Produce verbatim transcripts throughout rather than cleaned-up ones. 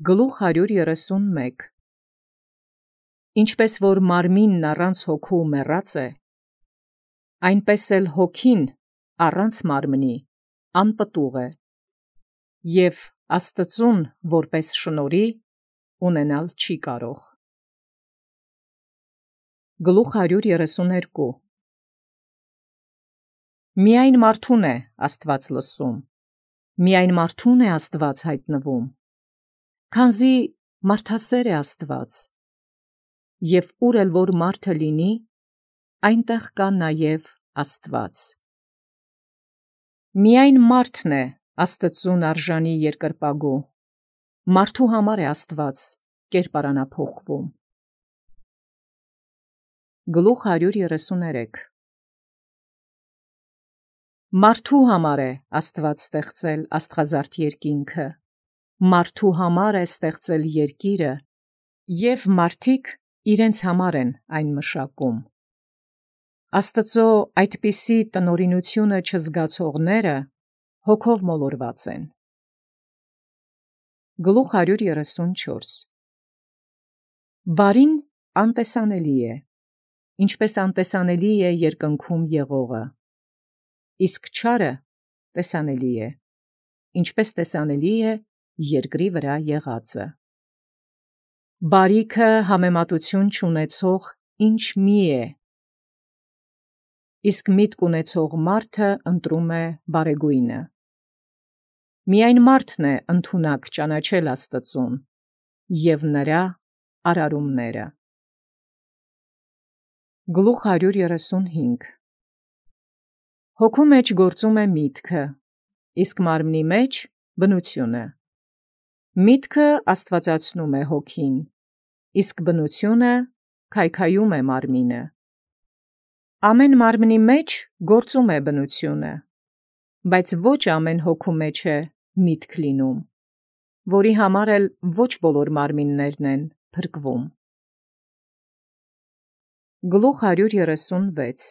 Գլուխ հարյուր երեսուն մեկ Ինչպես որ մարմինն առանց հոգու մեռած է, այնպես էլ հոգին առանց մարմնի անպտուղ է, և Աստծուն որպես շնորհի ունենալ չի կարող։ Գլուխ հարյուր երեսուն երկու Միայն մարդուն է Աստված լսում, միայն մարդուն է Աստված հայտնվում, քանզի մարդասեր է Աստված, և ուր էլ որ մարդը լինի, այնտեղ կա նաև Աստված։ Միայն մարդն է Աստծուն արժանի երկրպագու, մարդու համար է Աստված կերպարանափոխվում։ Գլուխ հարյուր երեսուն երեք Մարդու համար է Աստված ստեղծել աստղազարդ երկինքը, մարդու համար է ստեղծել երկիրը, և մարդիկ իրենց համար են այն մշակում։ Աստծո այդպիսի տնօրինությունը չզգացողները հոգով մոլորված են։ Գլուխ հարյուր երեսուն չորս Բարին անտեսանելի է, ինչպես անտեսանելի է երկնքում եղողը, իսկ չարը տեսանելի է, ինչպես տեսանելի է երկրի վրա եղածը։ Բարիքը համեմատություն չունեցող ինչ մի է, իսկ միտք ունեցող մարդը ընտրում է բարեգույնը։ Միայն մարդն է ընդունակ ճանաչել Աստծուն և նրա արարումները։ Գլուխ հարյուր երեսուն հինգ Հոգու մեջ գործում է միտքը, իսկ մարմնի մեջ բնությունը։ Միտքը աստվածացնում է հոգին, իսկ բնությունը քայքայում է մարմինը։ Ամեն մարմնի մեջ գործում է բնությունը, բայց ոչ ամեն հոգու մեջ է միտք լինում, որի համար էլ ոչ բոլոր մարմիններն են փրկվում։ Գլուխ հարյուր երեսուն վեց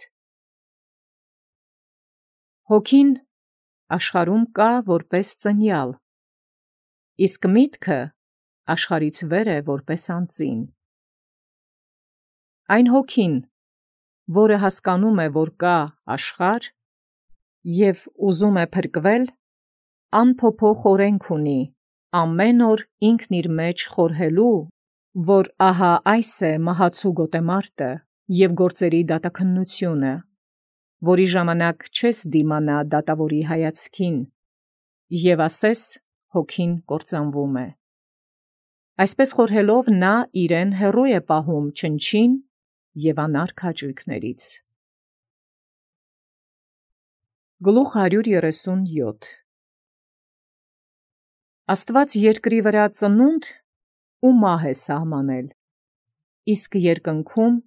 Հոգին աշխարհում կա որպես ծնյալ, իսկ միտքը աշխարհից վեր է որպես անծին։ Այն հոգին, որը հասկանում է, որ կա աշխարհ և ուզում է փրկվել, անփոփոխ օրենք ունի, ամեն օր ինքն իր մեջ խորհելու, որ ահա այս է մահացու գոտեմարտը և գործերի դատաքննությունը, որի ժամանակ չես դիմանա դատավորի հայացքին, և ասես հոգին կործանվում է։ Այսպես խորհելով նա իրեն հեռու է պահում չնչին և անարգ հաճույքներից։ Գլուխ հարյուր երեսուն յոթ Աստված երկրի վրա ծնունդ ու մահ է սահմանել, իսկ երկնքում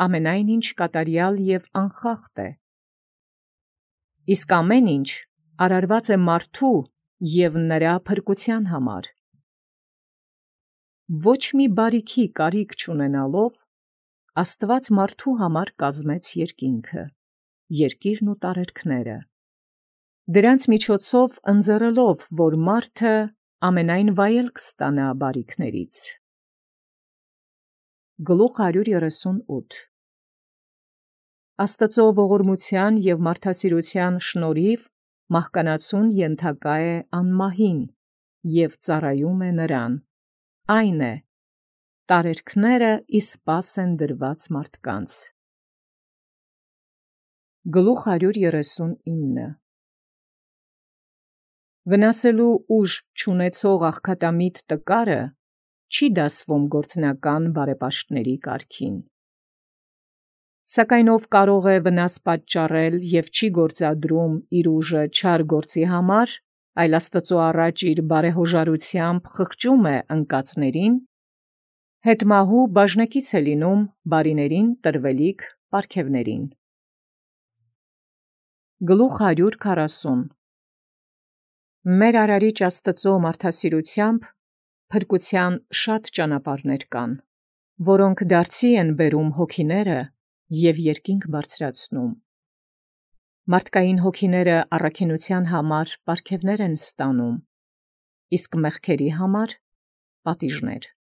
ամենայն ինչ կատարյալ և անխախտ է։ Իսկ ամեն ինչ արարված է մարդու և նրա փրկության համար։ Ոչ մի բարիքի կարիք չունենալով, Աստված մարդու համար կազմեց երկինքը, երկիրն ու տարերքները, դրանց միջոցով ընձեռելով, որ մարդը ամենայն վայելք ստանա բարիքներից։ Գլուխ հարյուր երեսուն ութ Աստծո ողորմության և մարդասիրության շնորհիվ մահկանացուն ենթակա է անմահին և ծառայում է նրան, այն է, տարերքները ի սպաս են դրված մարդկանց։ Գլուխ հարյուր երեսուն ինը Վնասելու ուժ չունեցող աղքատամիտ տկարը չի դասվում գործնական բարեպաշտների կարգին։ Սակայն ով կարող է վնաս պատճառել և չի գործադրում իր ուժը չար գործի համար, այլ Աստծո առաջ իր բարեհոժարությամբ խղճում է ընկածներին, հետմահու բաժնեկից է լինում բարիներին տրվելիք պարգևներին։ Գլուխ հարյուր քառասուն Մեր Արարիչ Աստծո մարդասիրությամբ փրկության շատ ճանապարհներ կան, որոնք դարձի են բերում հոգիները և երկինք բարձրացնում։ Մարդկային հոգիները առաքինության համար պարգևներ են ստանում, իսկ մեղքերի համար պատիժներ։